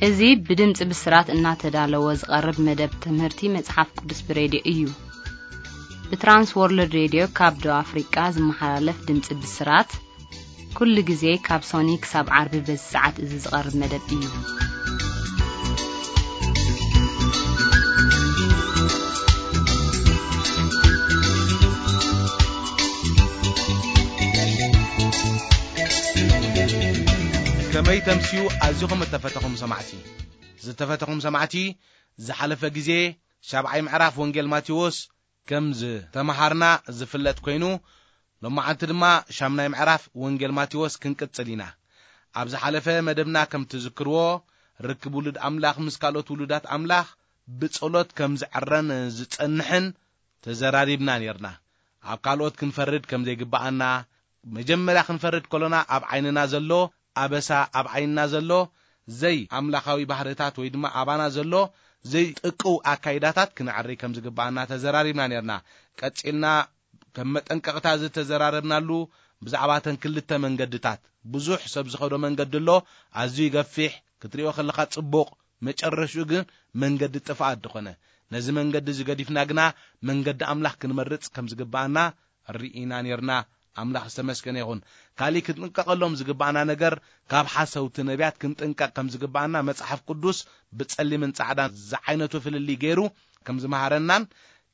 እዚ ብድምፂ ብስራት እናተዳለወ ዝቐርብ መደብ ትምህርቲ መጽሓፍ ቅዱስ ብሬድዮ እዩ። ብትራንስ ወርልድ ሬድዮ ካብ ደቡብ ኣፍሪቃ ዝመሓላለፍ ድምፂ ብስራት፣ ኩሉ ግዜ ካብ ሶኒ ክሳብ ዓርቢ በዚ ሰዓት እዚ ዝቐርብ መደብ እዩ። ከመይ ተምስዩ ኣዚኹም እተፈተኹም ሰማዕቲ። ዝተፈተኹም ሰማዕቲ፣ ዝሓለፈ ግዜ ሻብዓይ ምዕራፍ ወንጌል ማቴዎስ ከም ዝተመሃርና ዝፍለጥ ኮይኑ፣ ሎማዓንቲ ድማ ሻምናይ ምዕራፍ ወንጌል ማቴዎስ ክንቅጽል ኢና። ኣብ ዝሓለፈ መደብና ከም ትዝክርዎ፣ ርክብ ውሉድ ኣምላኽ ምስ ካልኦት ውሉዳት ኣምላኽ ብጸሎት ከም ዝዕረን ዝጸንሕን ተዘራሪብና ኔርና። ኣብ ካልኦት ክንፈርድ ከም ዘይግብኣና፣ መጀመርያ ክንፈርድ ከሎና ኣብ ዓይንና ዘሎ ኣበሳ፣ ኣብ ዓይንና ዘሎ ዘይ ኣምላኻዊ ባህርታት ወይ ድማ ኣባና ዘሎ ዘይጥቅው ኣካይዳታት ክነዕሪ ከም ዝግብኣና ተዘራሪብና ኔርና። ቀጺልና ከም መጠንቀቕታ ዝተዘራረብናሉ ብዛዕባ እተን ክልተ መንገድታት፣ ብዙሕ ሰብ ዝኸዶ መንገዲ ኣሎ፣ ኣዝዩ ይገፊሕ፣ ክትሪኦ ከለኻ ጽቡቕ፣ መጨረሽኡ ግን መንገዲ ጥፍኣት ዝኾነ። ነዚ መንገዲ እዚ ገዲፍና ግና መንገዲ ኣምላኽ ክንመርጽ ከም ዝግብኣና ርኢና ኔርና። ኣምላኽ ዝተመስገነ ይኹን። ካሊእ ክንጥንቀቐሎም ዝግብኣና ነገር፣ ካብ ሓሰውቲ ነቢያት ክንጥንቀቕ ከም ዝግብኣና መጽሓፍ ቅዱስ ብጸሊምን ጻዕዳን ዝዓይነቱ ፍልልይ ገይሩ ከም ዝመሃረናን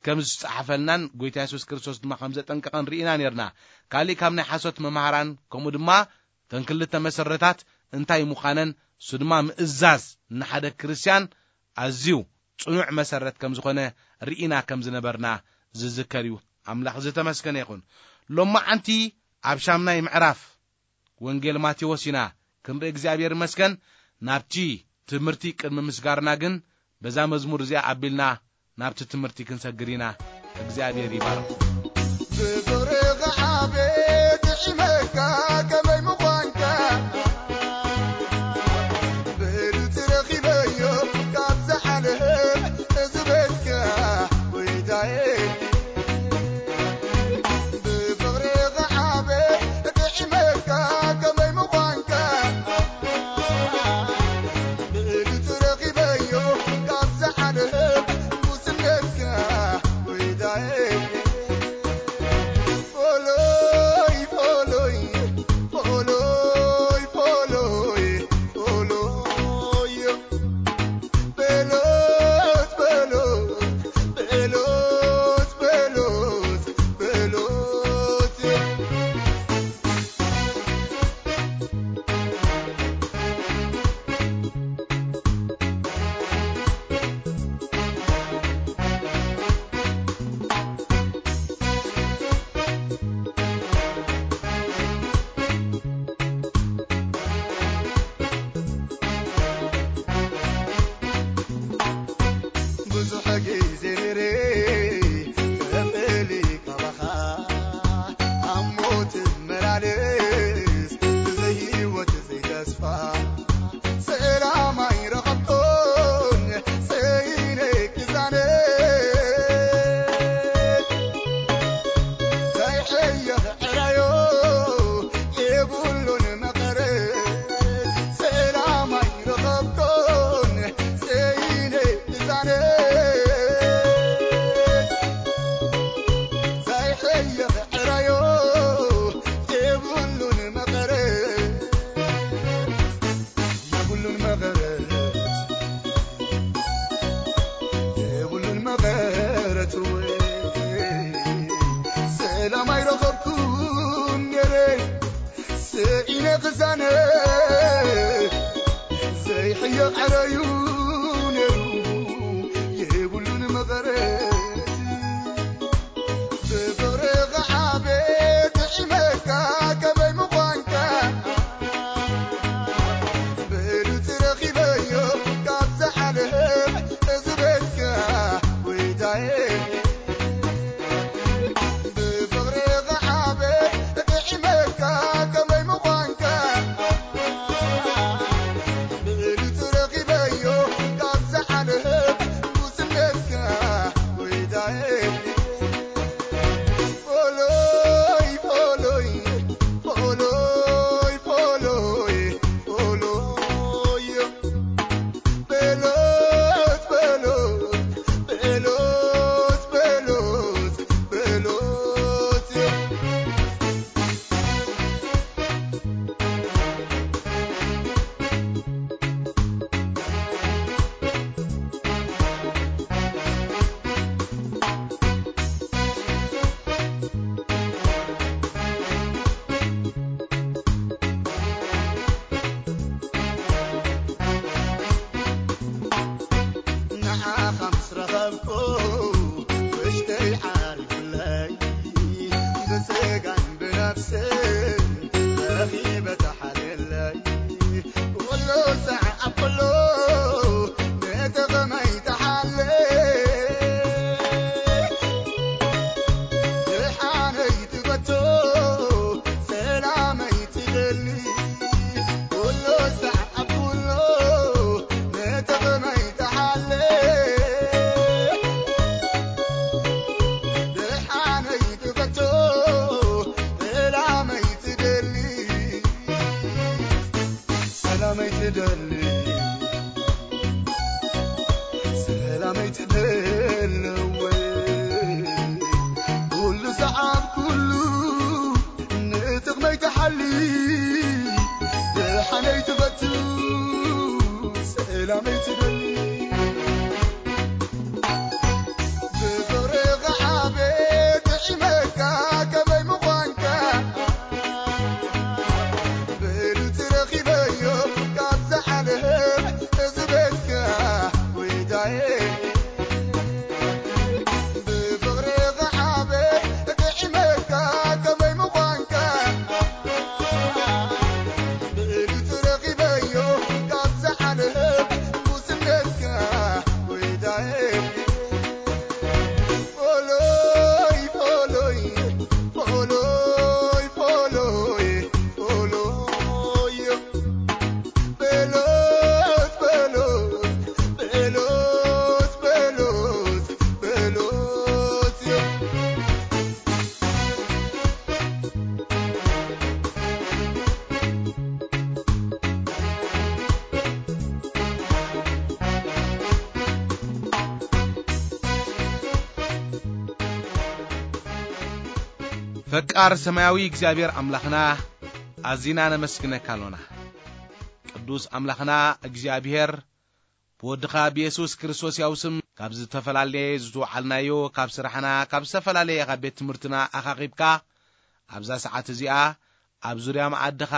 ከም ዝጸሓፈልናን፣ ጎይታ የሱስ ክርስቶስ ድማ ከም ዘጠንቀቐን ርኢና ኔርና። ካሊእ ካብ ናይ ሓሶት መምሃራን፣ ከምኡ ድማ እተን ክልተ መሰረታት እንታይ ምዃነን፣ እሱ ድማ ምእዛዝ ንሓደ ክርስትያን ኣዝዩ ጽኑዕ መሰረት ከም ዝኾነ ርኢና ከም ዝነበርና ዝዝከር እዩ። ኣምላኽ ዝተመስገነ ይኹን። ሎማዓንቲ ኣብ ሻምናይ ምዕራፍ ወንጌል ማቴዎስ ኢና ክንርኢ፣ እግዚኣብሔር ይመስገን። ናብቲ ትምህርቲ ቅድሚ ምስጋርና ግን፣ በዛ መዝሙር እዚኣ ኣቢልና ናብቲ ትምህርቲ ክንሰግር ኢና። እግዚኣብሔር ይባርኽ። ብፍቕርኻ ዓቤት ጥዒመካ ከመይ ምዃንካ፣ ብእሉ ትረኺበዮ ካብ ዝዓለም እዚ ቤትካ ወይታየ። ብፍቕርኻ ዓቤት ጥዒመካ ከመይ ምዃንካ፣ ብእሉ ትረኺበዮ ካብ ዝዓለም ጉስነትካ ወይታየ። ፎሎይ፣ ፎሎይ፣ ፎሎይ፣ ፎሎይ፣ ፎሎይ። በሎት፣ በሎት፣ በሎት፣ በሎት፣ በሎት። ብዙሕ ግዜ ነይረ ተፈሊ ካባኻ፣ ኣብ ሞት መላለስ ብዘይ ህይወት ዘይተስፋ፣ ሰላም ኣይረኸብኩን፣ ሰይነ ክዛነ ዘይሕየኽ ዕራዮ የብሉን መቐረት፣ ሰላም ኣይረኸብኩን፣ ሰይነ ክዛነ ዘይሕየኽ ዕራዮ የብሉን መቐረት። የብሉን መቐረት፣ የብሉን መቐረት ወይ ሰላም ኣይረኸብኩን ነይረ፣ ስዒነ ክዛነ ዘይሕየቕ ዕረዩ ነይሩ፣ የብሉን መቐረት። ብፍቕርኻ ዓቤት ጥዒመካ ከመይ ምዃንካ፣ ብእሉ ትረኺበዮ ካብዛ ዓለም እዚ ቤትካ ወይታየ። ብፍቕርኻ ዓቤት ጥዒመካ ከመይ ምዃንካ፣ ብእሉ ትረኺበዮ ትደሊ፣ ሰላመይ ትደሊ ወይ? ኩሉ ሰዓብ ኩሉ ንጥቕመይ ትሓሊ፣ ደሓነይ ትፈቱ፣ ሰላመይ ትደሊ። ብፍቕሪ ክዓበ ጥዒመካ ከመይ ምዃንካ፣ ብሉጽ ረኺበዮ ካብ ዝሓልፍ እዚ ቤትካ ጎይታየ። ብፍቕሪ ክዓበ ጥዒመካ ከመይ ምዃንካ፣ ብሉጽ ረኺበዮ ካብ ዝሓልፍ ጉስነትካ ጎይታየ። ፎሎይ፣ ፎሎይ፣ ፎሎይ፣ ፎሎይ፣ ፎሎይ። በሎት፣ በሎት፣ በሎት፣ በሎት፣ በሎት። ፈቃር ሰማያዊ እግዚኣብሔር ኣምላኽና፣ ኣዚና ነመስግነካ ኣሎና። ቅዱስ ኣምላኽና እግዚኣብሔር፣ ብወድኻ ብየሱስ ክርስቶስ ያው ስም ካብ ዝተፈላለየ ዝተውዓልናዮ፣ ካብ ስራሕና፣ ካብ ዝተፈላለየ ካብ ቤት ትምህርትና ኣኻኺብካ፣ ኣብዛ ሰዓት እዚኣ ኣብ ዙርያ መኣድኻ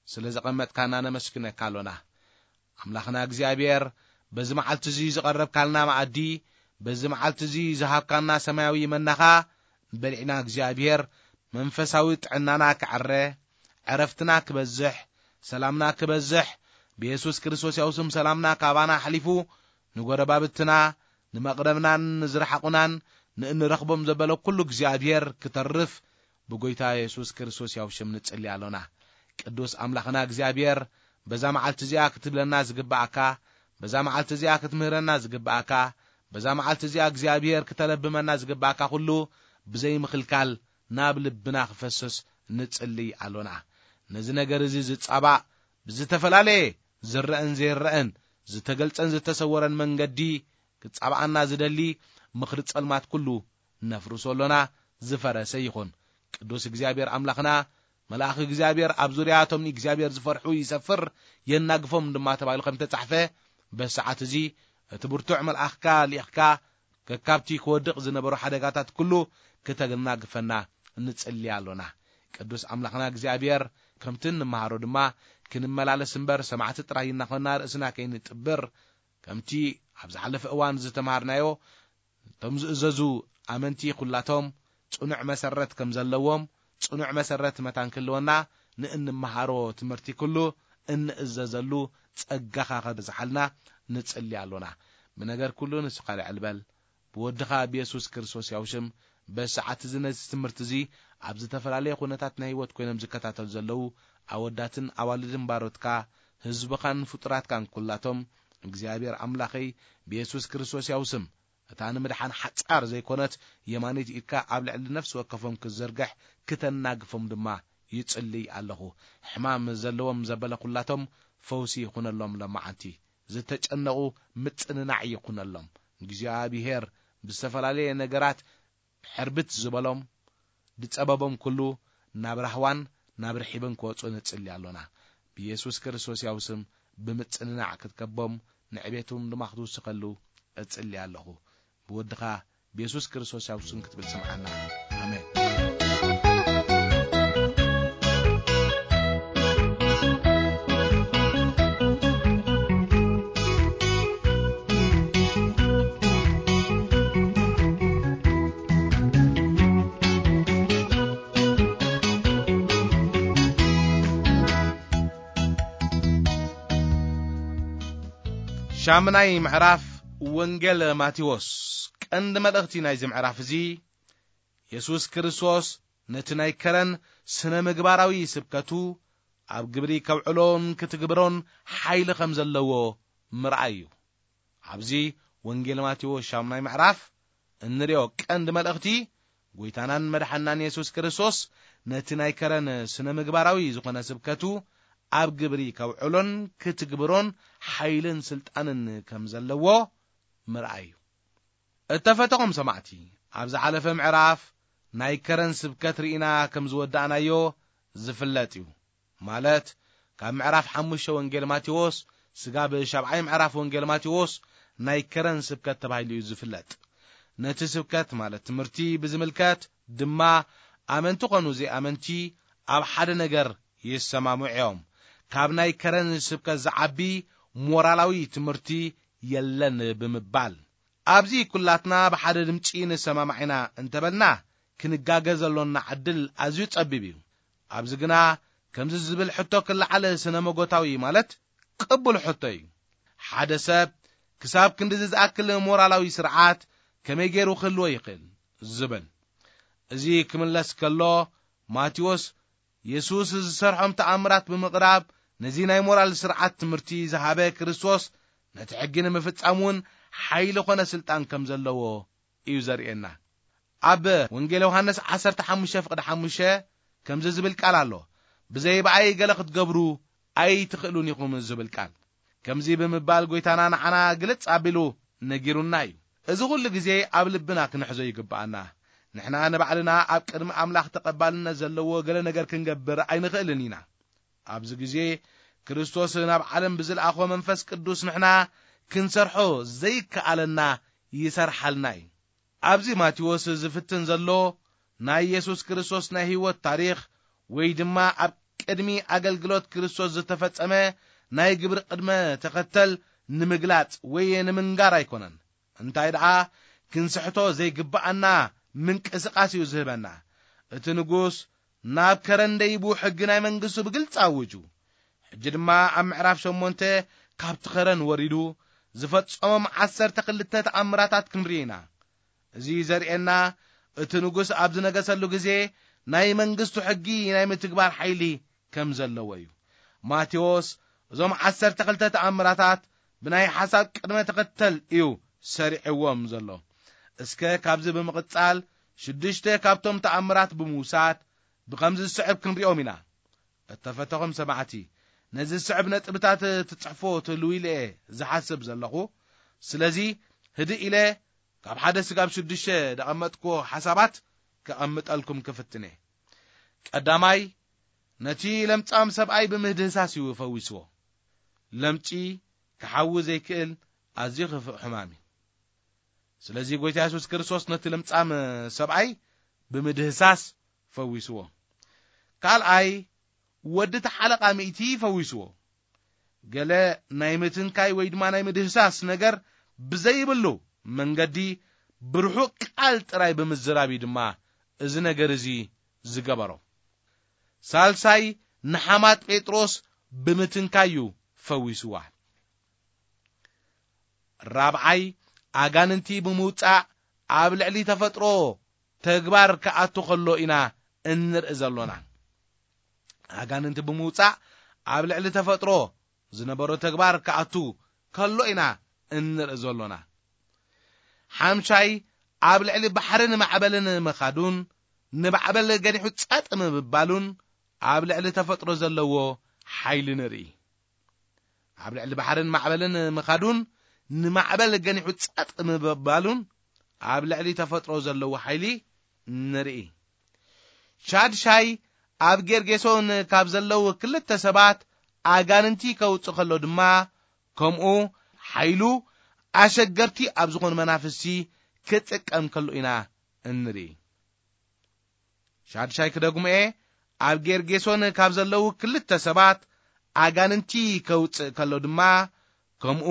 ስለ ዘቐመጥካና ነመስግነካ ኣሎና። ኣምላኽና እግዚኣብሔር፣ በዚ መዓልቲ እዚ ዝቐረብካልና መኣዲ፣ በዚ መዓልቲ እዚ ዝሃብካና ሰማያዊ መናኻ በሊዕና፣ እግዚኣብሔር፣ መንፈሳዊ ጥዕናና ክዕረ፣ ዕረፍትና ክበዝሕ፣ ሰላምና ክበዝሕ፣ ብየሱስ ክርስቶስ ያው ስም ሰላምና ካባና ኣሕሊፉ ንጎረባብትና፣ ንመቕረብናን ንዝረሓቑናን ንእንረኽቦም ዘበለ ኩሉ እግዚኣብሔር ክተርፍ ብጎይታ የሱስ ክርስቶስ ያው ሽም ንጽሊ ኣሎና። ቅዱስ ኣምላኽና እግዚኣብሔር፣ በዛ መዓልቲ እዚኣ ክትብለና ዝግብኣካ፣ በዛ መዓልቲ እዚኣ ክትምህረና ዝግብኣካ፣ በዛ መዓልቲ እዚኣ እግዚኣብሔር ክተለብመና ዝግብኣካ ኩሉ ብዘይምኽልካል ናብ ልብና ክፈስስ ንጽሊ ኣሎና። ነዚ ነገር እዚ ዝጻባእ ብዝተፈላለየ ዝረአን ዘይረአን፣ ዝተገልጸን ዝተሰወረን መንገዲ ክጻብኣና ዝደሊ ምኽሪ ጸልማት ኩሉ ነፍርሶ ኣሎና። ዝፈረሰ ይኹን። ቅዱስ እግዚኣብሔር ኣምላኽና፣ መልኣኽ እግዚኣብሔር ኣብ ዙርያ እቶም ንእግዚኣብሔር ዝፈርሑ ይሰፍር፣ የናግፎም ድማ ተባሂሉ ከም ተጻሕፈ፣ በሰዓት እዚ እቲ ብርቱዕ መልኣኽካ ልኢኽካ ከካብቲ ክወድቕ ዝነበሮ ሓደጋታት ኩሉ ክተናግፈና ንጽሊ ኣሎና። ቅዱስ ኣምላኽና እግዚኣብሔር፣ ከምቲ እንመሃሮ ድማ ክንመላለስ እምበር ሰማዕቲ ጥራይ እናኾንና ርእስና ከይንጥብር፣ ከምቲ ኣብ ዝሓለፈ እዋን ዝተምሃርናዮ፣ እቶም ዝእዘዙ ኣመንቲ ኩላቶም ጽኑዕ መሰረት ከም ዘለዎም፣ ጽኑዕ መሰረት መታን ክህልወና፣ ንእንመሃሮ ትምህርቲ ኩሉ እንእዘዘሉ ጸጋኻ ከብዝሓልና ንጽሊ ኣሎና። ብነገር ኩሉ ንስኻ ልዕል በል። ብወድኻ ብየሱስ ክርስቶስ ያው ሽም፣ በዚ ሰዓት እዚ ነዚ ትምህርቲ እዚ ኣብ ዝተፈላለየ ኩነታት ናይ ህይወት ኮይኖም ዝከታተሉ ዘለዉ ኣወዳትን ኣዋልድን ባሮትካ፣ ህዝብኻን ፍጡራትካን ኩላቶም፣ እግዚኣብሔር ኣምላኸይ፣ ብየሱስ ክርስቶስ ያው ስም፣ እታ ንምድሓን ሓጻር ዘይኮነት የማኒት ኢድካ ኣብ ልዕሊ ነፍሲ ወከፎም ክትዝርግሕ ክተናግፎም ድማ ይጽልይ ኣለኹ። ሕማም ዘለዎም ዘበለ ኩላቶም ፈውሲ ይኹነሎም። ለማዓንቲ ዝተጨነቑ ምጽንናዕ ይኹነሎም። እግዚኣብሔር ብዝተፈላለየ ነገራት ሕርብት ዝበሎም ዝጸበቦም ኩሉ ናብ ራህዋን ናብ ርሒብን ክወጹ ንጽሊ ኣሎና። ብየሱስ ክርስቶስ ያው ስም ብምጽንናዕ ክትከቦም ንዕቤቱን ድማ ክትውስኸሉ እጽሊ ኣለኹ። ብወድኻ ብየሱስ ክርስቶስ ያው ስም ክትብል ስምዓና። ኣሜን። ሻምናይ ምዕራፍ ወንጌል ማቴዎስ። ቀንዲ መልእኽቲ ናይዚ ምዕራፍ እዚ፣ የሱስ ክርስቶስ ነቲ ናይ ከረን ስነ ምግባራዊ ስብከቱ ኣብ ግብሪ ከውዕሎን ክትግብሮን ሓይሊ ከም ዘለዎ ምርኣይ እዩ። ኣብዚ ወንጌል ማቴዎስ ሻምናይ ምዕራፍ እንሪኦ ቀንዲ መልእኽቲ፣ ጎይታናን መድሓናን የሱስ ክርስቶስ ነቲ ናይ ከረን ስነ ምግባራዊ ዝኾነ ስብከቱ ኣብ ግብሪ ከውዕሎን ክትግብሮን ሓይልን ስልጣንን ከም ዘለዎ ምርኣይ እዩ። እተፈተኹም ሰማዕቲ፣ ኣብ ዝሓለፈ ምዕራፍ ናይ ከረን ስብከት ርኢና ከም ዝወዳእናዮ ዝፍለጥ እዩ። ማለት፣ ካብ ምዕራፍ ሓሙሽተ ወንጌል ማቴዎስ ስጋብ ሻብዓይ ምዕራፍ ወንጌል ማቴዎስ ናይ ከረን ስብከት ተባሂሉ እዩ ዝፍለጥ። ነቲ ስብከት፣ ማለት ትምህርቲ፣ ብዝምልከት ድማ ኣመንቲ ኾኑ ዘይኣመንቲ ኣብ ሓደ ነገር ይሰማምዑ እዮም። ካብ ናይ ከረን ስብከት ዝዓቢ ሞራላዊ ትምህርቲ የለን ብምባል፣ ኣብዚ ኩላትና ብሓደ ድምጺ ንሰማማዕ ኢና እንተበልና፣ ክንጋገ ዘሎና ዕድል ኣዝዩ ጸቢብ እዩ። ኣብዚ ግና ከምዚ ዝብል ሕቶ ክለዓል ስነ መጎታዊ፣ ማለት ቅቡል ሕቶ እዩ። ሓደ ሰብ ክሳብ ክንድዚ ዝኣክል ሞራላዊ ስርዓት ከመይ ገይሩ ክህልዎ ይኽእል? ዝብል። እዚ ክምለስ ከሎ፣ ማቴዎስ የሱስ ዝሰርሖም ተኣምራት ብምቕራብ፣ ነዚ ናይ ሞራል ስርዓት ትምህርቲ ዝሃበ ክርስቶስ፣ ነቲ ሕጊ ንምፍጻም እውን ሓይሊ ኾነ ስልጣን ከም ዘለዎ እዩ ዘርእየና። ኣብ ወንጌል ዮሃንስ ዓሰርተ ሓሙሽተ ፍቕዲ ሓሙሽተ ከምዚ ዝብል ቃል ኣሎ፣ "ብዘይ ብኣይ ገለ ክትገብሩ ኣይትኽእሉን ኢኹም" ዝብል ቃል። ከምዚ ብምባል ጎይታና ንዓና ግልጽ ኣቢሉ ነጊሩና እዩ። እዚ ኹሉ ግዜ ኣብ ልብና ክንሕዞ ይግብኣና። ንሕና ንባዕልና ኣብ ቅድሚ ኣምላኽ ተቐባልነት ዘለዎ ገለ ነገር ክንገብር ኣይንኽእልን ኢና። ኣብዚ ግዜ ክርስቶስ ናብ ዓለም ብዝለኣኾ መንፈስ ቅዱስ ንሕና ክንሰርሖ ዘይከኣለና ይሰርሓልና እዩ። ኣብዚ ማቴዎስ ዝፍትን ዘሎ ናይ የሱስ ክርስቶስ ናይ ህይወት ታሪኽ ወይ ድማ ኣብ ቅድሚ ኣገልግሎት ክርስቶስ ዝተፈጸመ ናይ ግብሪ ቅድመ ተኸተል ንምግላጽ ወይ ንምንጋር ኣይኮነን። እንታይ ደኣ፣ ክንስሕቶ ዘይግብኣና ምንቅስቓስ እዩ ዝህበና። እቲ ንጉስ ናብ ከረን ደይቡ ሕጊ ናይ መንግስቱ ብግልጺ ኣውጁ። ሕጂ ድማ ኣብ ምዕራፍ ሸሞንተ ካብቲ ከረን ወሪዱ ዝፈጸሞም ዓሰርተ ክልተ ተኣምራታት ክንርኢ ኢና። እዚ ዘርእየና፣ እቲ ንጉስ ኣብ ዝነገሰሉ ግዜ ናይ መንግስቱ ሕጊ ናይ ምትግባር ሓይሊ ከም ዘለዎ እዩ። ማቴዎስ እዞም ዓሰርተ ክልተ ተኣምራታት ብናይ ሓሳብ ቅድመ ተኸተል እዩ ሰሪዕዎም ዘሎ። እስከ ካብዚ ብምቕጻል ሽዱሽተ ካብቶም ተኣምራት ብምውሳድ ብኸምዚ ዝስዕብ ክንሪኦም ኢና። እተፈተኹም ሰማዕቲ፣ ነዚ ዝስዕብ ነጥብታት ትጽሕፎ ትህልዉ ኢለ እየ ዝሓስብ ዘለኹ። ስለዚ ህድእ ኢለ ካብ ሓደ ስጋብ ሽዱሽተ ደቐመጥክዎ ሓሳባት ከቐምጠልኩም ክፍትን እየ። ቀዳማይ፣ ነቲ ለምጻም ሰብኣይ ብምህድህሳስ እዩ ፈዊስዎ። ለምጺ ክሓዊ ዘይክእል ኣዝዩ ክፉእ ሕማም እዩ። ስለዚ ጎይታ የሱስ ክርስቶስ ነቲ ለምጻም ሰብኣይ ብምድህሳስ ፈዊስዎ። ካልኣይ፣ ወዲ ተሓለቓ ሚእቲ ፈዊስዎ። ገለ ናይ ምትንካይ ወይ ድማ ናይ ምድህሳስ ነገር ብዘይብሉ መንገዲ ብርሑቕ ቃል ጥራይ ብምዝራብ እዩ ድማ እዚ ነገር እዚ ዝገበሮ። ሳልሳይ፣ ንሓማት ጴጥሮስ ብምትንካይ እዩ ፈዊስዋ። ራብዓይ፣ ኣጋንንቲ ብምውጻእ ኣብ ልዕሊ ተፈጥሮ ተግባር ክኣቱ ከሎ ኢና እንርኢ ዘሎና። ኣጋንንቲ ብምውጻእ ኣብ ልዕሊ ተፈጥሮ ዝነበሮ ተግባር ክኣቱ ከሎ ኢና እንርኢ ዘሎና። ሓምሻይ፣ ኣብ ልዕሊ ባሕርን ማዕበልን ምኻዱን ንማዕበል ገኒሑ ጸጥ ምባሉን ኣብ ልዕሊ ተፈጥሮ ዘለዎ ሓይሊ ንርኢ። ኣብ ልዕሊ ባሕርን ማዕበልን ምኻዱን ንማዕበል ገኒሑ ጸጥ ምባሉን ኣብ ልዕሊ ተፈጥሮ ዘለዎ ሓይሊ ንርኢ። ሻድሻይ፣ ኣብ ጌርጌሶን ካብ ዘለዉ ክልተ ሰባት ኣጋንንቲ ከውጽእ ከሎ ድማ፣ ከምኡ ሓይሉ ኣሸገርቲ ኣብ ዝኾኑ መናፍስቲ ክጥቀም ከሎ ኢና እንርኢ። ሻድሻይ ክደግሞ እየ፣ ኣብ ጌርጌሶን ካብ ዘለዉ ክልተ ሰባት ኣጋንንቲ ከውጽእ ከሎ ድማ፣ ከምኡ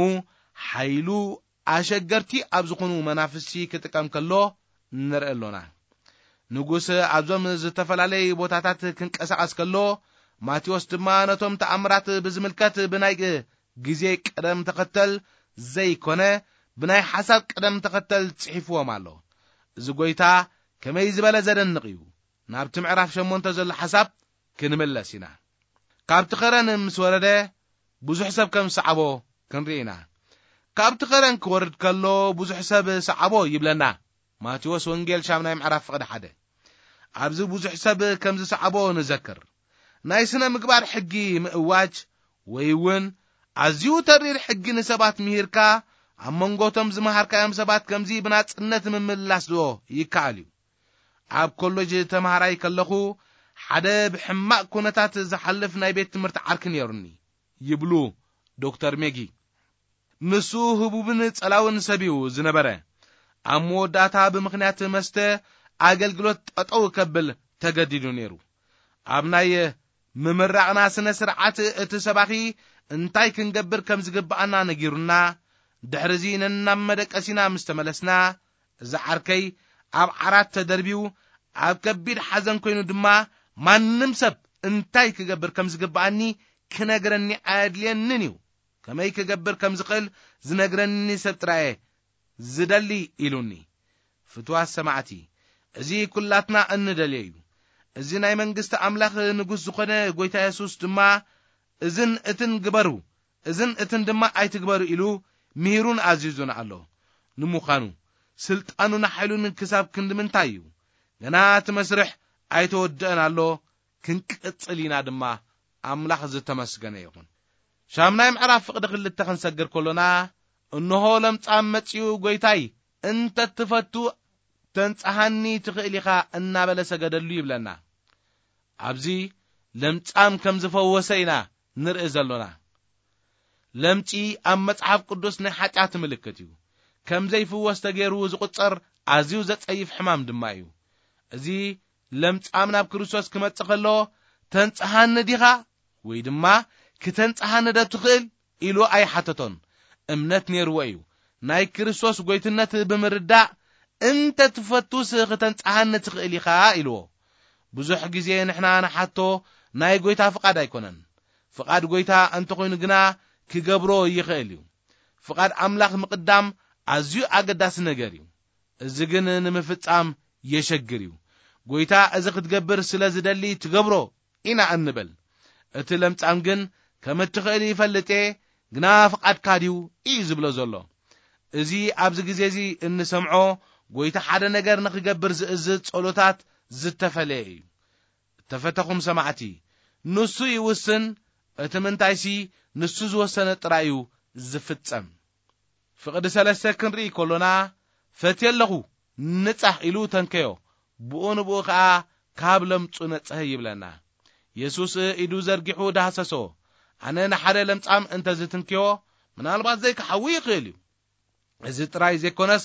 ሓይሉ ኣሸገርቲ ኣብ ዝኾኑ መናፍስቲ ክጥቀም ከሎ ንርኢ ኣሎና። ንጉስ ኣብዞም ዝተፈላለዩ ቦታታት ክንቀሳቐስ ከሎ፣ ማቴዎስ ድማ ነቶም ተኣምራት ብዝምልከት ብናይ ግዜ ቅደም ተኸተል ዘይኮነ፣ ብናይ ሓሳብ ቅደም ተኸተል ጽሒፍዎም ኣሎ። እዚ ጐይታ ከመይ ዝበለ ዘደንቕ እዩ! ናብቲ ምዕራፍ ሸሞንተ ዘሎ ሓሳብ ክንምለስ ኢና። ካብቲ ኸረን ምስ ወረደ፣ ብዙሕ ሰብ ከም ዝሰዓቦ ክንርኢ ኢና። ካብቲ ኸረን ክወርድ ከሎ፣ ብዙሕ ሰብ ሰዓቦ ይብለና። ማቴዎስ ወንጌል ሻምናይ ምዕራፍ ፍቕዲ ሓደ። ኣብዚ ብዙሕ ሰብ ከም ዝሰዓቦ ንዘክር። ናይ ስነ ምግባር ሕጊ ምእዋጅ ወይ እውን ኣዝዩ ተሪር ሕጊ ንሰባት ምሂርካ ኣብ መንጎቶም ዝመሃርካዮም ሰባት ከምዚ ብናጽነት ምምላስ ዶ ይከኣል እዩ? ኣብ ኮሌጅ ተማሃራይ ከለኹ ሓደ ብሕማቕ ኩነታት ዝሓልፍ ናይ ቤት ትምህርቲ ዓርኪ ነይሩኒ ይብሉ ዶክተር ሜጊ። ንሱ ህቡብን ጸላውን ሰብ እዩ ዝነበረ። ኣብ መወዳእታ ብምኽንያት መስተ ኣገልግሎት ጠጠው ከብል ተገዲዱ ነይሩ። ኣብ ናይ ምምራቕና ስነ ስርዓት እቲ ሰባኺ እንታይ ክንገብር ከም ዝግብኣና ነጊሩና፣ ድሕርዚ ነናብ መደቀሲና ምስ ተመለስና፣ እዚ ዓርከይ ኣብ ዓራት ተደርቢዩ ኣብ ከቢድ ሓዘን ኮይኑ ድማ፣ ማንም ሰብ እንታይ ክገብር ከም ዝግብኣኒ ክነግረኒ ኣየድልየንን እዩ። ከመይ ክገብር ከም ዝኽእል ዝነግረኒ ሰብ ጥራየ ዝደሊ ኢሉኒ። ፍትዋት ሰማዕቲ፣ እዚ ኩላትና እንደልዮ እዩ። እዚ ናይ መንግስቲ ኣምላኽ ንጉስ ዝኾነ ጎይታ የሱስ ድማ፣ "እዝን እትን ግበሩ፣ እዝን እትን ድማ ኣይትግበሩ" ኢሉ ምሂሩን ኣዚዙን ኣሎ። ንምዃኑ፣ ስልጣኑን ሓይሉን ክሳብ ክንዲ ምንታይ እዩ? ገና እቲ መስርሕ ኣይተወድአን ኣሎ፣ ክንቅጽል ኢና ድማ። ኣምላኽ ዝተመስገነ ይኹን። ሻምናይ ምዕራፍ ፍቕዲ ክልተ ክንሰግር ከሎና፣ "እንሆ ለምጻም መጺኡ፣ ጎይታይ፣ እንተ ትፈቱ ተንጽሃኒ ትኽእል ኢኻ" እናበለ ሰገደሉ ይብለና። ኣብዚ ለምጻም ከም ዝፈወሰ ኢና ንርኢ ዘሎና። ለምጺ ኣብ መጽሓፍ ቅዱስ ናይ ሓጢኣት ምልክት እዩ። ከም ዘይፍወስ ተገይሩ ዝቑጸር ኣዝዩ ዘጸይፍ ሕማም ድማ እዩ። እዚ ለምጻም ናብ ክርስቶስ ክመጽእ ከሎ፣ "ተንጽሃኒ ዲኻ?" ወይ ድማ "ክተንጽሃኒ ዶ ትኽእል?" ኢሉ ኣይሓተቶን። እምነት ነይርዎ እዩ። ናይ ክርስቶስ ጎይትነት ብምርዳእ፣ "እንተ ትፈቱስ ክተንጽሃኒ ትኽእል ኢኻ" ኢልዎ። ብዙሕ ግዜ ንሕና ንሓቶ ናይ ጎይታ ፍቓድ ኣይኮነን። ፍቓድ ጎይታ እንተኾይኑ ግና ክገብሮ ይኽእል እዩ። ፍቓድ ኣምላኽ ምቕዳም ኣዝዩ ኣገዳሲ ነገር እዩ። እዚ ግን ንምፍጻም የሸግር እዩ። ጎይታ እዚ ክትገብር ስለ ዝደሊ ትገብሮ ኢና እንብል። እቲ ለምጻም ግን ከም እትኽእል ይፈልጥ እየ፣ ግና ፍቓድካ ድዩ እዩ ዝብሎ ዘሎ። እዚ ኣብዚ ግዜ እዚ እንሰምዖ ጎይታ ሓደ ነገር ንኽገብር ዝእዝዝ ጸሎታት ዝተፈለየ እዩ። እተፈተኹም ሰማዕቲ፣ ንሱ ይውስን፣ እቲ ምንታይሲ ንሱ ዝወሰነ ጥራይ እዩ ዝፍጸም። ፍቕዲ ሰለስተ ክንርኢ ከሎና፣ "ፈትየ ኣለኹ፣ ንጻሕ" ኢሉ ተንከዮ፣ ብኡ ንብኡ ኸኣ ካብ ለምጹ ነጽሀ ይብለና። የሱስ ኢዱ ዘርጊሑ ዳህሰሶ። ኣነ ንሓደ ለምጻም እንተ ዝትንክዮ፣ ምናልባት ዘይክሓዊ ይኽእል እዩ። እዚ ጥራይ ዘይኮነስ፣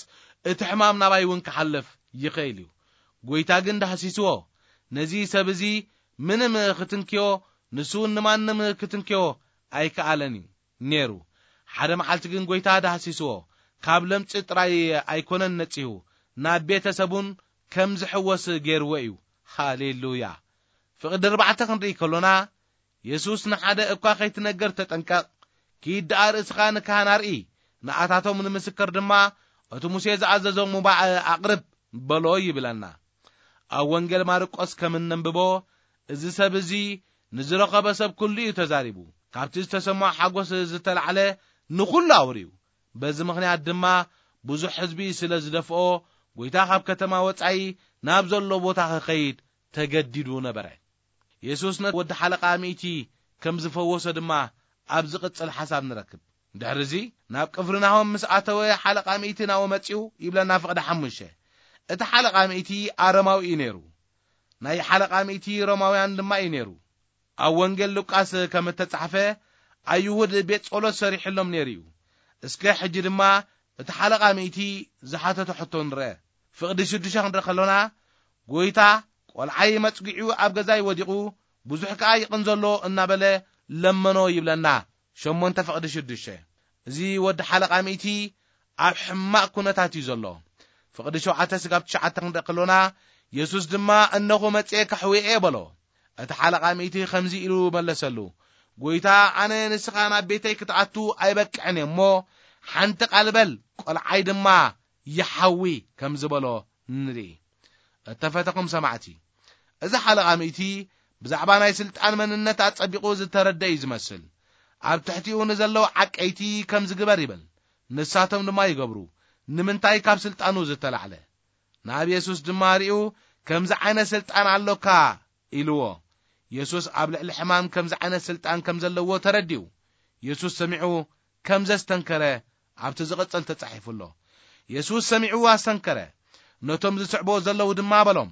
እቲ ሕማም ናባይ እውን ክሓልፍ ይኽእል እዩ። ጎይታ ግን ዳህሲስዎ። ነዚ ሰብ እዚ ምንም ክትንክዮ፣ ንሱ እውን ንማንም ክትንክዮ ኣይከኣለን እዩ ነይሩ። ሓደ መዓልቲ ግን ጎይታ ዳህሲስዎ። ካብ ለምጺ ጥራይ ኣይኮነን ነጺሁ፣ ናብ ቤተሰቡን ከም ዝሕወስ ገይርዎ እዩ። ሃሌሉያ! ፍቕዲ ኣርባዕተ ክንርኢ ከሎና፣ የሱስ ንሓደ እኳ ከይትነግር ተጠንቀቕ፣ ኪድ ደኣ ርእስኻ ንካህን ኣርኢ፣ ንኣታቶም ንምስክር ድማ እቲ ሙሴ ዝኣዘዞ ምባእ ኣቕርብ በሎ ይብለና። ኣብ ወንጌል ማርቆስ ከም እነንብቦ፣ እዚ ሰብ እዚ ንዝረኸበ ሰብ ኩሉ እዩ ተዛሪቡ። ካብቲ ዝተሰምዖ ሓጎስ ዝተላዕለ ንኹሉ ኣውርዩ። በዚ ምኽንያት ድማ ብዙሕ ህዝቢ ስለ ዝደፍኦ፣ ጎይታ ካብ ከተማ ወጻኢ ናብ ዘሎ ቦታ ክኸይድ ተገዲዱ ነበረ። የሱስ ነቲ ወዲ ሓለቓ ሚእቲ ከም ዝፈወሶ ድማ ኣብ ዝቕጽል ሓሳብ ንረክብ። ድሕርዚ ናብ ቅፍርናሆም ምስ ኣተወ፣ ሓለቓ ሚእቲ ናብኡ መጺኡ ይብለና ፍቕዲ ሓሙሽተ። እቲ ሓለቓ ሚእቲ ኣረማዊ እዩ ነይሩ። ናይ ሓለቓ ሚእቲ ሮማውያን ድማ እዩ ነይሩ። ኣብ ወንጌል ሉቃስ ከም እተጻሕፈ፣ ኣይሁድ ቤት ጸሎት ሰሪሕሎም ነይሩ እዩ። እስከ ሕጂ ድማ እቲ ሓለቓ ሚእቲ ዝሓተቶ ሕቶ ንርአ። ፍቕዲ ሽዱሽተ ክንርኢ ከሎና፣ "ጎይታ፣ ቆልዓይ መጽጊዑ ኣብ ገዛይ ወዲቑ፣ ብዙሕ ከኣ ይቕንዘሎ" እናበለ ለመኖ ይብለና። ሸሞንተ ፍቕዲ ሽዱሽተ። እዚ ወዲ ሓለቓ ሚእቲ ኣብ ሕማቕ ኩነታት እዩ ዘሎ። ፍቕዲ ሸውዓተ ስጋብ ትሽዓተ ክንርኢ ከሎና፣ የሱስ ድማ፣ "እነኹ መጽኤ ከሕውየ እየ" በሎ። እቲ ሓለቓ ሚእቲ ከምዚ ኢሉ መለሰሉ፣ "ጎይታ፣ ኣነ ንስኻ ናብ ቤተይ ክትኣቱ ኣይበቅዕን እየ እሞ፣ ሓንቲ ቃል በል፣ ቆልዓይ ድማ ይሓዊ" ከም ዝበሎ ንርኢ። እተፈተኹም ሰማዕቲ፣ እዚ ሓለቓ ሚእቲ ብዛዕባ ናይ ስልጣን መንነት ኣጸቢቑ ዝተረደ እዩ ዝመስል። ኣብ ትሕቲኡ ንዘለዉ ዓቀይቲ ከም ዝግበር ይብል። ንሳቶም ድማ ይገብሩ። ንምንታይ? ካብ ስልጣኑ ዝተላዕለ። ናብ የሱስ ድማ ሪኡ፣ "ከምዚ ዓይነት ስልጣን ኣሎካ?" ኢልዎ። የሱስ ኣብ ልዕሊ ሕማም ከምዚ ዓይነት ስልጣን ከም ዘለዎ ተረዲኡ። የሱስ ሰሚዑ ከም ዘስተንከረ ኣብቲ ዝቕጽል ተጻሒፉ ኣሎ። የሱስ ሰሚዑ ኣስተንከረ። ነቶም ዝስዕቦ ዘለዉ ድማ በሎም፣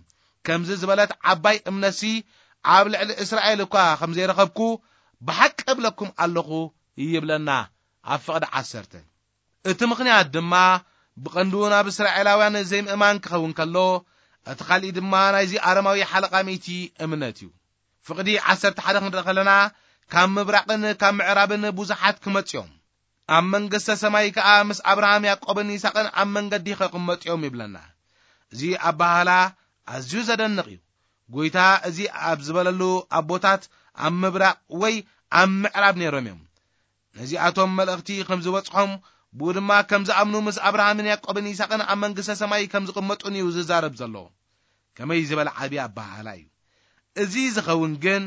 "ከምዚ ዝበለት ዓባይ እምነትሲ ኣብ ልዕሊ እስራኤል እኳ ከም ዘይረኸብኩ ብሓቂ እብለኩም ኣለኹ" ይብለና ኣብ ፍቕዲ ዓሰርተ። እቲ ምኽንያት ድማ ብቐንዱ ናብ እስራኤላውያን ዘይምእማን ክኸውን ከሎ፣ እቲ ካልእ ድማ ናይዚ ኣረማዊ ሓለቓ ሚእቲ እምነት እዩ። ፍቕዲ ዓሰርተ ሓደ ክንርኢ ከለና፣ "ካብ ምብራቕን ካብ ምዕራብን ብዙሓት ክመጽኡ እዮም፣ ኣብ መንግስተ ሰማይ ከኣ ምስ ኣብርሃም፣ ያዕቆብን ይስሐቅን ኣብ መንገዲ ክቕመጡ እዮም" ይብለና። እዚ ኣበሃህላ ኣዝዩ ዘደንቕ እዩ። ጎይታ እዚ ኣብ ዝበለሉ፣ ኣቦታት ኣብ ምብራቕ ወይ ኣብ ምዕራብ ነይሮም እዮም። ነዚኣቶም መልእኽቲ ከም ዝበጽሖም፣ ብኡ ድማ ከም ዝኣምኑ፣ ምስ ኣብርሃምን ያዕቆብን ይስሐቅን ኣብ መንግስተ ሰማይ ከም ዝቕመጡን እዩ ዝዛረብ ዘሎ። ከመይ ዝበለ ዓቢ ኣበሃህላ እዩ! እዚ ዝኸውን ግን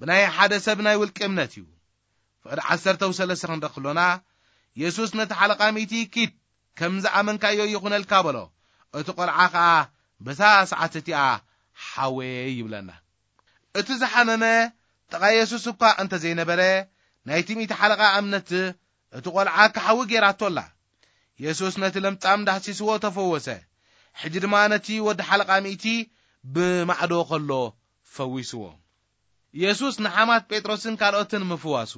ብናይ ሓደ ሰብ ናይ ውልቂ እምነት እዩ። ፍቕዲ ዓሰርተ ሰለስተ ክንርኢ ከሎና፣ የሱስ ነቲ ሓለቓ ሚእቲ፣ "ኪድ፣ ከም ዝኣመንካዮ ይኹነልካ" በሎ። እቲ ቆልዓ ኸኣ በታ ሰዓት እቲኣ ሓወየ ይብለና። እቲ ዝሓመመ ጥቓ የሱስ እኳ እንተ ዘይነበረ፣ ናይቲ ሚእቲ ሓለቓ እምነት እቲ ቆልዓ ክሓዊ ጌራቶ ኣላ። የሱስ ነቲ ለምጻም ዳህሲስዎ ተፈወሰ። ሕጂ ድማ ነቲ ወዲ ሓለቓ ሚእቲ ብማዕዶ ከሎ ፈዊስዎ። የሱስ ንሓማት ጴጥሮስን ካልኦትን ምፍዋሱ።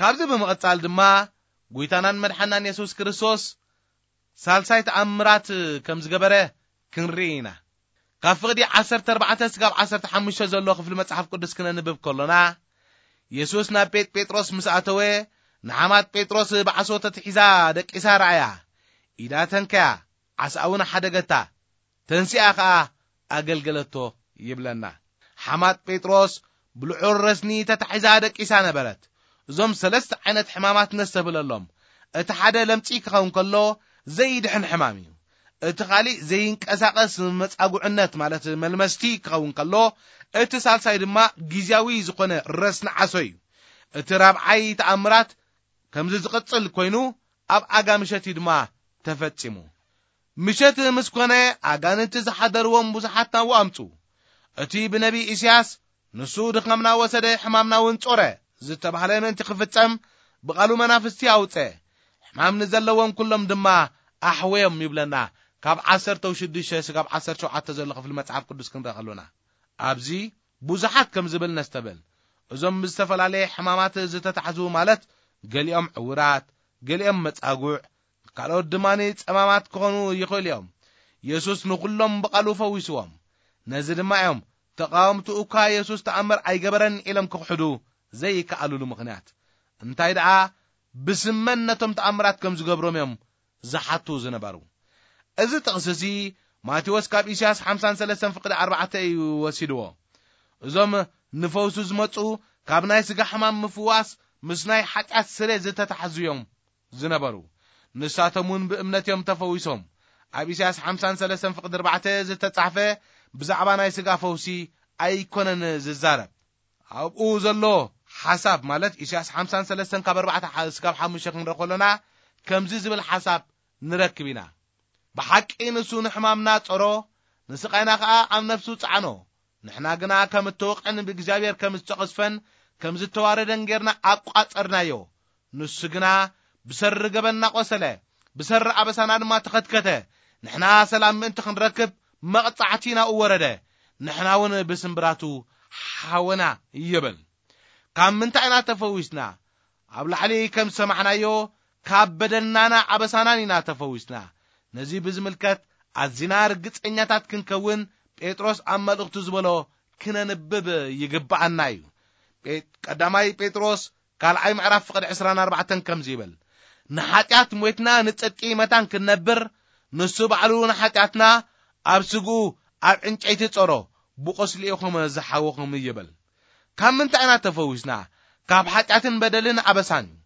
ካብዚ ብምቕጻል ድማ፣ ጎይታናን መድሓናን የሱስ ክርስቶስ ሳልሳይ ተኣምራት ከም ዝገበረ ክንርኢ ኢና። ካብ ፍቕዲ ዓሰርተ ኣርባዕተ ስጋብ ዓሰርተ ሓሙሽተ ዘሎ ክፍሊ መጽሓፍ ቅዱስ ክነንብብ ከሎና፣ የሱስ ናብ ቤት ጴጥሮስ ምስ ኣተወ፣ ንሓማት ጴጥሮስ ብዓሶ ተትሒዛ ደቂሳ ረኣያ። ኢዳ ተንከያ፣ ዓስኣ እውን ሓደገታ። ተንሲኣ ኸኣ ኣገልገለቶ ይብለና። ሓማት ጴጥሮስ ብልዑል ረስኒ ተታሒዛ ደቂሳ ነበረት። እዞም ሰለስተ ዓይነት ሕማማት ነስተብህለሎም። እቲ ሓደ ለምጺ ክኸውን ከሎ ዘይድሕን ሕማም እዩ። እቲ ካልእ ዘይንቀሳቐስ መጻጉዕነት ማለት መልመስቲ ክኸውን ከሎ፣ እቲ ሳልሳይ ድማ ግዝያዊ ዝኾነ ረስኒ ዓሶ እዩ። እቲ ራብዓይ ተኣምራት ከምዚ ዝቕጽል ኮይኑ፣ ኣብ ኣጋ ምሸት እዩ ድማ ተፈጺሙ። ምሸት ምስ ኮነ፣ ኣጋንንቲ ዝሓደርዎም ብዙሓት ናብኡ ኣምጹ። እቲ ብነቢ ኢሳያስ፣ "ንሱ ድኻምና ወሰደ፣ ሕማምና እውን ጾረ" ዝተባህለ ምእንቲ ክፍጸም፣ ብቓሉ መናፍስቲ ኣውጸ። ሕማም ንዘለዎም ኩሎም ድማ ኣሕወዮም ይብለና፣ ካብ ዓሰርተ ሽዱሽተ ስጋብ ዓሰርተ ሸውዓተ ዘሎ ክፍሊ መጽሓፍ ቅዱስ ክንርኢ ከሎና። ኣብዚ ብዙሓት ከም ዝብል ነስተብል። እዞም ብዝተፈላለየ ሕማማት ዝተታሕዙ ማለት፣ ገሊኦም ዕውራት፣ ገሊኦም መጻጉዕ፣ ካልኦት ድማ ጸማማት ክኾኑ ይኽእሉ እዮም። የሱስ ንኹሎም ብቓሉ ፈዊስዎም። ነዚ ድማ እዮም ተቓወምቱ እኳ የሱስ ተኣምር ኣይገበረን ኢሎም ክኽሕዱ ዘይከኣሉሉ ምኽንያት። እንታይ ደኣ፣ ብስም መን ነቶም ተኣምራት ከም ዝገብሮም እዮም ዝሓቱ ዝነበሩ። እዚ ጥቕሲ እዚ ማቴዎስ ካብ ኢሳያስ ሓምሳን ሰለስተን ፍቕዲ ኣርባዕተ እዩ ወሲድዎ። እዞም ንፈውሱ ዝመጹ ካብ ናይ ስጋ ሕማም ምፍዋስ ምስ ናይ ሓጢኣት ስርየት ዝተታሕዙ እዮም ዝነበሩ። ንሳቶም እውን ብእምነት እዮም ተፈዊሶም። ኣብ ኢሳያስ ሓምሳን ሰለስተን ፍቕዲ ኣርባዕተ ዝተጻሕፈ ብዛዕባ ናይ ስጋ ፈውሲ ኣይኮነን ዝዛረብ። ኣብኡ ዘሎ ሓሳብ ማለት ኢሳያስ ሓምሳን ሰለስተን ካብ ኣርባዕተ ሓ-፣ እስካብ ሓሙሽተ ክንርኢ ከሎና ከምዚ ዝብል ሓሳብ ንረክብ ኢና። ብሓቂ ንሱ ንሕማምና ጸሮ፣ ንስቓይና ኸኣ ኣብ ነፍሱ ጸዓኖ። ንሕና ግና ከም እተወቕዐን ብእግዚኣብሔር ከም ዝተቐስፈን ከም ዝተዋረደን ጌርና ኣቋጸርናዮ። ንሱ ግና ብሰሪ ገበንና ቆሰለ፣ ብሰሪ ኣበሳና ድማ ተኸትከተ። ንሕና ሰላም ምእንቲ ክንረክብ መቕጻዕቲ ናብኡ ወረደ። ንሕና እውን ብስምብራቱ ሓወና ይብል። ካብ ምንታይ ኢና ተፈዊስና? ኣብ ላዕሊ ከም ዝሰማዕናዮ፣ ካብ በደልናን ኣበሳናን ኢና ተፈዊስና። ነዚ ብዝምልከት ኣዚና ርግጸኛታት ክንከውን፣ ጴጥሮስ ኣብ መልእኽቱ ዝበሎ ክነንብብ ይግብኣና እዩ። ጴ-፣ ቀዳማይ ጴጥሮስ ካልኣይ ምዕራፍ ፍቕዲ ዕስራን ኣርባዕተን ከምዚ ይብል፣ "ንሓጢኣት ሞይትና ንጽድቂ መታን ክንነብር፣ ንሱ ባዕሉ ንሓጢኣትና ኣብ ስግኡ ኣብ ዕንጨይቲ ጸሮ፣ ብቁስሊ ኢኹም ዝሓወኹም" ይብል። ካብ ምንታይ ኢና ተፈዊስና? ካብ ሓጢኣትን በደልን ኣበሳን እዩ።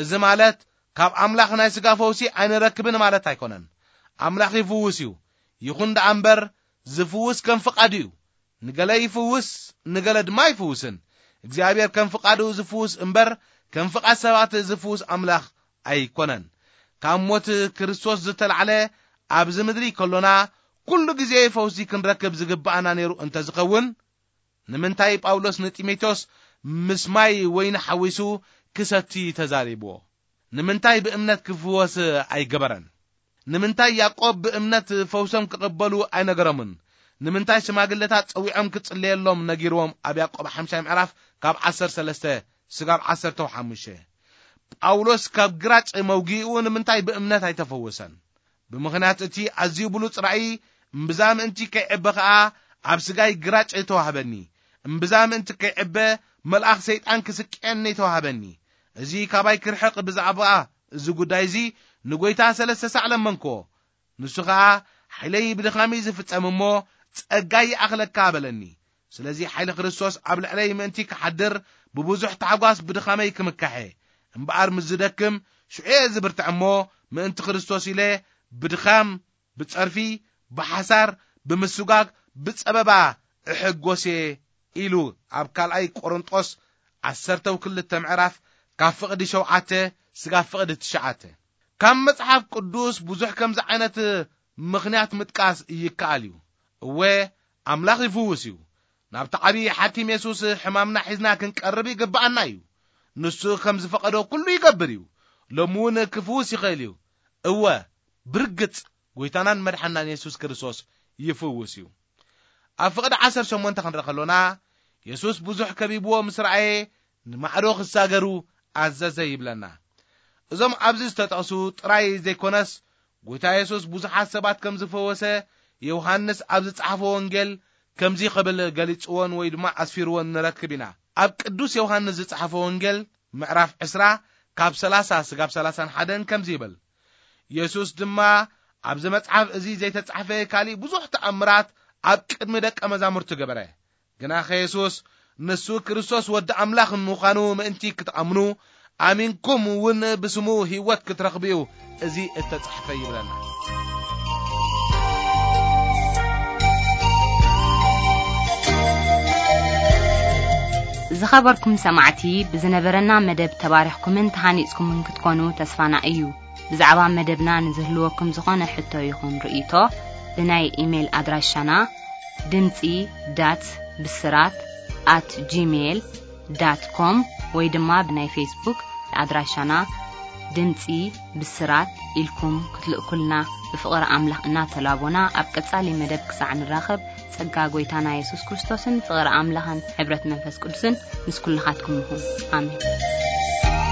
እዚ ማለት ካብ ኣምላኽ ናይ ስጋ ፈውሲ ኣይንረክብን ማለት ኣይኮነን። ኣምላኽ ይፍውስ እዩ። ይኹን ደኣ እምበር ዝፍውስ ከም ፍቓዱ እዩ። ንገለ ይፍውስ፣ ንገለ ድማ ኣይፍውስን። እግዚኣብሔር ከም ፍቓዱ ዝፍውስ እምበር ከም ፍቓድ ሰባት ዝፍውስ ኣምላኽ ኣይኮነን። ካብ ሞት ክርስቶስ ዝተላዕለ ኣብዚ ምድሪ ከሎና ኩሉ ግዜ ፈውሲ ክንረክብ ዝግብኣና ነይሩ እንተዝኸውን፣ ንምንታይ ጳውሎስ ንጢሞቴዎስ ምስ ማይ ወይኒ ሓዊሱ ክሰቲ ተዛሪብዎ? ንምንታይ ብእምነት ክፍወስ ኣይገበረን? ንምንታይ ያዕቆብ ብእምነት ፈውሶም ክቕበሉ ኣይነገሮምን? ንምንታይ ሽማግለታት ጸዊዖም ክጽለየሎም ነጊርዎም? ኣብ ያዕቆብ ሓምሻይ ምዕራፍ ካብ ዓሰርተ ሰለስተ ስጋብ ዓሰርተ ሓሙሽተ። ጳውሎስ ካብ ግራጭ መውጊኡ ንምንታይ ብእምነት ኣይተፈወሰን? ብምኽንያት እቲ ኣዝዩ ብሉጽ ራእይ፣ እምብዛ ምእንቲ ከይዕበ ኸኣ ኣብ ስጋይ ግራጭ ተዋህበኒ። እምብዛ ምእንቲ ከይዕበ መልኣኽ ሰይጣን ክስቅየኒ ተዋህበኒ። እዚ ካባይ ክርሕቕ ብዛዕባ እዚ ጉዳይ እዚ ንጎይታ ሰለስተ ሳዕ ለመንክዎ። ንሱ ኸኣ ሓይለይ ብድኻሚ ዝፍጸም እሞ ጸጋይ ይኣኽለካ በለኒ። ስለዚ ሓይሊ ክርስቶስ ኣብ ልዕለይ ምእንቲ ክሓድር ብብዙሕ ታሕጓስ ብድኻመይ ክምካሐ። እምበኣር ምስ ዝደክም ሽዑ እየ ዝብርትዕ እሞ ምእንቲ ክርስቶስ ኢለ ብድኻም፣ ብጸርፊ፣ ብሓሳር፣ ብምስጓግ፣ ብጸበባ እሕጎስ እየ ኢሉ ኣብ ካልኣይ ቆሮንጦስ ዓሰርተ ክልተ ምዕራፍ ካብ ፍቕዲ ሸውዓተ ስጋብ ፍቕዲ ትሽዓተ። ካብ መጽሓፍ ቅዱስ ብዙሕ ከምዚ ዓይነት ምኽንያት ምጥቃስ ይከኣል እዩ። እወ፣ ኣምላኽ ይፍውስ እዩ። ናብቲ ዓብዪ ሓኪም የሱስ ሕማምና ሒዝና ክንቀርብ ይግብኣና እዩ። ንሱ ከም ዝፈቐዶ ኩሉ ይገብር እዩ። ሎሚ እውን ክፍውስ ይኽእል እዩ። እወ፣ ብርግጽ ጎይታናን መድሓናን የሱስ ክርስቶስ ይፍውስ እዩ። ኣብ ፍቕዲ ዓሰርተ ሸሞንተ ክንርኢ ከሎና፣ የሱስ ብዙሕ ከቢብዎ ምስ ረኣየ ንማዕዶ ክሳገሩ ኣዘዘ ይብለና። እዞም ኣብዚ ዝተጠቕሱ ጥራይ ዘይኮነስ፣ ጎይታ የሱስ ብዙሓት ሰባት ከም ዝፈወሰ ዮሃንስ ኣብ ዝጸሓፎ ወንጌል ከምዚ ክብል ገሊጽዎን ወይ ድማ ኣስፊርዎን ንረክብ ኢና። ኣብ ቅዱስ ዮሃንስ ዝጸሓፎ ወንጌል ምዕራፍ ዕስራ ካብ ሰላሳ ስጋብ ሰላሳን ሓደን ከምዚ ይብል። የሱስ ድማ፣ "ኣብዚ መጽሓፍ እዚ ዘይተጻሕፈ ካልእ ብዙሕ ተኣምራት ኣብ ቅድሚ ደቀ መዛሙርቱ ገበረ። ግናኸ የሱስ ንሱ ክርስቶስ ወዲ ኣምላኽ ምዃኑ ምእንቲ ክትኣምኑ፣ ኣሚንኩም እውን ብስሙ ህይወት ክትረኽቡ እዩ እዚ እተጻሕፈ" ይብለና። ዝኸበርኩም ሰማዕቲ፣ ብዝነበረና መደብ ተባሪኽኩምን ተሃኒጽኩምን ክትኮኑ ተስፋና እዩ። ብዛዕባ መደብና ንዝህልወኩም ዝኾነ ሕቶ ይኹን ርእይቶ፣ ብናይ ኢሜይል ኣድራሻና ድምጺ ዳት ብስራት ኣት ጂሜይል ዳት ኮም ወይ ድማ ብናይ ፌስቡክ ኣድራሻና ድምጺ ብስራት ኢልኩም ክትልእኩልና ብፍቕሪ ኣምላኽ እናተላቦና፣ ኣብ ቀጻሊ መደብ ክሳዕ ንራኸብ፣ ጸጋ ጎይታና የሱስ ክርስቶስን ፍቕሪ ኣምላኽን ሕብረት መንፈስ ቅዱስን ምስ ኩልኻትኩም ይኹን። ኣሜን።